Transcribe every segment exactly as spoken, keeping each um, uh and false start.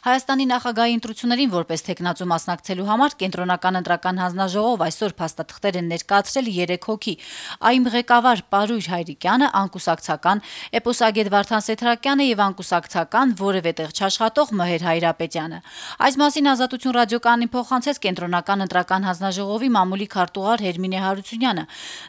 Հայաստանի նախագահի ընտրություններին որպես թեկնածու մասնակցելու համար կենտրոնական ընտրական հանձնաժողով այսօր փաստաթղթեր են ներկայացրել երեք հոգի։ ԱԻՄ ղեկավար Պարույր Հայրիկյանը, անկուսակցական, էպոսագետ Վարդան Սեթրակյանը եւ անկուսակցական որևէ տեղ չաշխատող Մհեր Հայրապետյանը։ Այս մասին Ազատություն ռադիոկայանին փոխանցեց կենտրոնական ընտրական հանձնաժողովի մամուլի քարտուղար Հերմինե Հարությունյանը։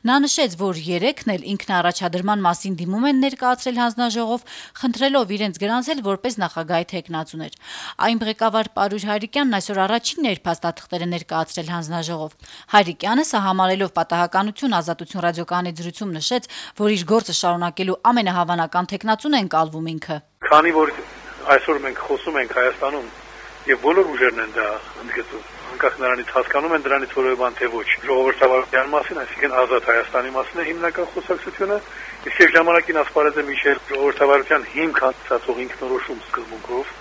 Նա նշեց, որ երեքն էլ ինքնաառաջադրման մասին դիմում են ներկայացրել հանձնաժողով, խնդրելով իրենց գրանցել որպես նախագահի թեկնածուներ։ ԱԻՄ ղեկավար Պարույր Հայրիկյանն այսօր առաջինն էր փաստաթղթերը ներկայացրել հանձնաժողով։ Հայրիկյանը սա համարելով պատահականություն Ազատություն ռադիոկայանի զրույցում նշեց, որ իր գործը շարունակելու ամենահավանական թեկնածուն են կալվում ինքը։ Քանի որ այսօր մենք խոսում ենք Հայաստանում եւ բոլոր ուժերն են դա ընդգծում, անկախ նրանից հասկանում են դրանից որևէ բան թե ոչ, ժողովրդավարության մասին, այսինքն ազատ Հայաստանի մասին է հիմնական խոսակցությունը, իսկ եւ ժամանակին ասպարեզ է միշել ժողովրդավարության հիմք հաստատող ինքնորոշում սկզբունքով։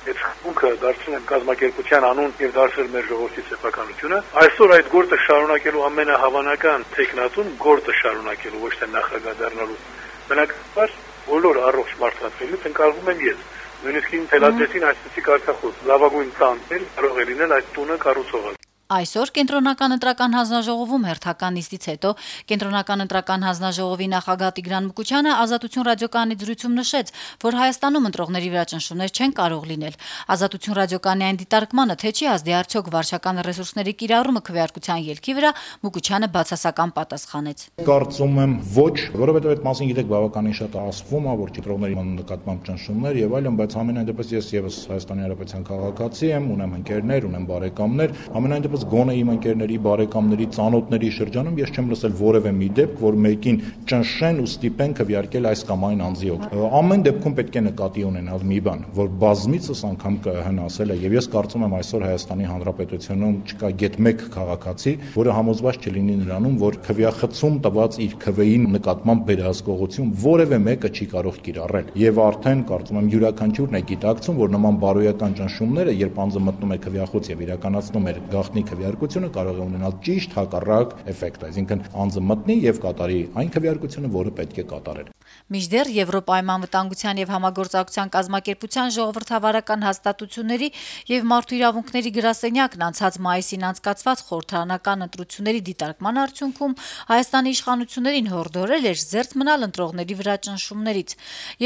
Այդ խմբը դարձել են կազմակերպության անուն եւ դարձել մեր ժողովրդի սեփականությունը։ Այսօր այդ գործը շարունակելու ամենահավանական տեխնատուն գործը շարունակելու ոչ թե նախագահ դառնալու։ Բնականաբար բոլոր առողջ մարդկանցից ընկալվում եմ ես։ Նույնիսկ ինձ թելադրեցին այսպիսի կարգախոս. լավագույն տանտել կարող է լինել այդ տունը կառուցողը։ Այսօր կենտրոնական ընտրական հանձնաժողովում հերթական նիստից հետո կենտրոնական ընտրական հանձնաժողովի նախագահ Տիգրան Մուկուչյանը Ազատություն ռադիոկայանի զրույցում նշեց, որ Հայաստանում ընտրողների վրա ճնշումներ չեն կարող լինել։ Ազատություն ռադիոկայանի այն դիտարկմանը, թե չի ազդի արդյոք վարչական ռեսուրսների կիրառումը քվեարկության ելքի վրա, Մուկուչյանը բացասական պատասխանեց։ Կարծում եմ ոչ, որովհետև այդ մասին գիտեք բավականին շատ ասվում է, որ ընտրողների նկատմամբ ճնշումներ եւ այլն, բայց ամենայն դեպս ես եւս Հայաստանի Հանրապետության քաղաքացի եմ, ունեմ ընկերներ, ունեմ բարեկամներ, ամենայն դեպս գոնե իմ ընկերների, բարեկամների, ծանոթների շրջանում ես չեմ լսել որևէ մի դեպք, որ մեկին ճնշեն ու ստիպեն քվեարկել այս կամ այն անձի օգ։ Ամեն դեպքում պետք է նկատի ունենալ մի բան, որ բազմիցս անգամ կհնասել է եւ ես կարծում եմ այսօր Հայաստանի Հանրապետությունում չկա գեթ մեկ քաղաքացի, որը համոզված չլինի նրանում, որ քվեախցում տված իր քվեին նկատմամբ վերահսկողություն որևէ մեկը չի կարող կիրառել։ Եվ արդեն կարծում եմ յուրաքանչյուրն է գիտակցում, որ նման բարոյական ճնշումները, երբ անձը մտնում է քվեախոց եւ իրականացնում է գաղտնի քվեարկությունը, կարող է ունենալ ճիշտ հակառակ էֆեկտ, այսինքն անձը մտնի եւ կատարի այն քվեարկությունը, որը պետք է կատարել։ Մինչդեռ Եվրոպայում անվտանգության եւ համագործակցության կազմակերպության ժողովրդավարական հաստատությունների եւ մարդու իրավունքների գրասենյակն անցած մայիսին անցկացված խորհրդարանական ընտրությունների դիտարկման արդյունքում Հայաստանի իշխանություններին հորդորել էր զերծ մնալ ընտրողների վրա ճնշումներից։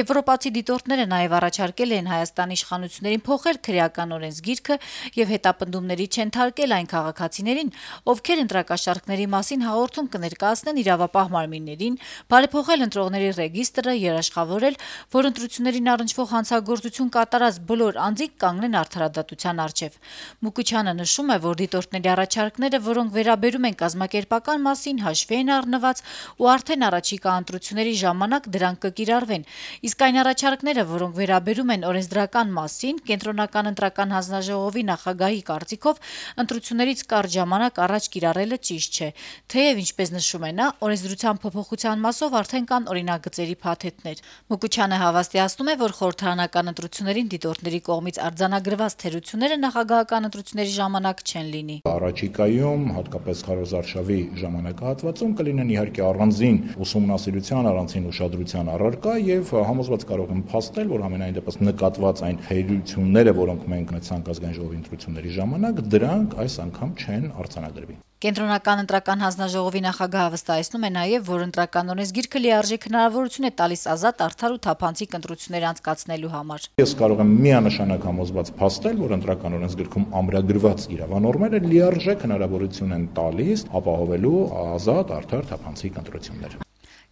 Եվրոպացի դիտորդները նաեւ առաջարկել են Հայաստանի իշխանություններին փոխել քրեական օրենսգիրքը եւ հետապնդումների չընթարկել այն քաղաքացիներին, ովքեր ընտրակաշառքների մասին հաղորդում կներկայացնեն իրավապահ մարմիններին, բարեփոխել ընտրողների ռեգիստրը, երաշխավորել, որ ընտրություններին առնչվող հանցագործություն կատարած բոլոր անձիկ կանգնեն արդարադատության առջև։ Մուկուչյանը նշում է, որ դիտորդների առաջարկները, որոնք վերաբերում են կազմակերպական մասին, հաշվի են առնված ու արդեն առաջիկա ընտրությունների ժամանակ դրանք կկիրառվեն, իսկ այն առաջարկները, որոնք վերաբերում են օրենսդրական մասին, կենտրոնական ընտրական հանձնաժողովի նախագահի կարծիքով ընտրություններից կարճ ժամանակ առաջ կիրառելը ճիշտ չէ, թեև ինչպես նշում է նա, օրենսդրության փոփոխության մասով արդեն կան օրինագծերի փաթեթներ։ Մուկուչյանը հավաստիացնում է, որ խորհրդարանական ընտրություններին դիտորդների կողմից արձանագրված թերությունները նախագահական ընտրությունների ժամանակ չեն լինի։ Առաջիկայում, հատկապես քարոզարշավի ժամանակահատվածում կլինեն իհարկե առանձին ուսումնասիրության, առանձին ուշադրության առարկա եւ համոզված կարող եմ փաստել, որ ամենայն դեպս նկատված այն թերությունները, որոնք մենք ունեցանք ազգային ժողովի ընտրությունների ժամանակ, դրանք այս անգամ չեն արձանագրվի։ Կենտրոնական ընտրական հանձնաժողովի նախագահը վստահեցնում է նաև, որ ընտրական օրենսգիրքը լիարժեք հնարավորություն է տալիս ազատ, արդար ու թափանցիկ ընտրություններ անցկացնելու համար։ Ես կարող եմ միանշանակ համոզված փաստել, որ ընտրական օրենսգիրքում ամրագրված իրավանորմերը լիարժեք հնարավորություն են տալիս ապահովելու ազատ, արդար, թափանցիկ ընտրություններ։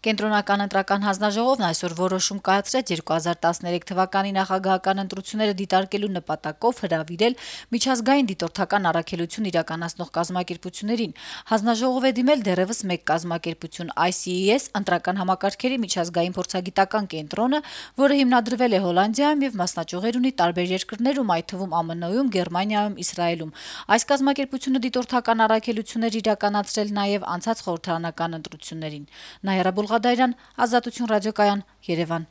Կենտրոնական ընտրական հանձնաժողովն այսօր որոշում կայացրեց երկու հազար տասներեք թվականի նախագահական ընտրությունները դիտարկելու նպատակով հրավիրել միջազգային դիտորդական առաքելություն իրականացնող կազմակերպություններին։ Հանձնաժողով է դիմել դեռևս մեկ կազմակերպություն I C E S ընտրական համակարգերի միջազգային փորձագիտական կենտրոնը, որը հիմնադրվել է Հոլանդիայում եւ մասնաճյուղեր ունի տարբեր երկրներում, այդ թվում Ամն Ում, Գերմանիայում, Իսրայելում։ Այս կազմակերպությունը դիտորդական առաքելություններ իրականացրել նաեւ անցած խորհրդարանական ընտրություններին։ Նայրա Բուլղադարյան, Ազատություն ռադիոկայան, Երևան։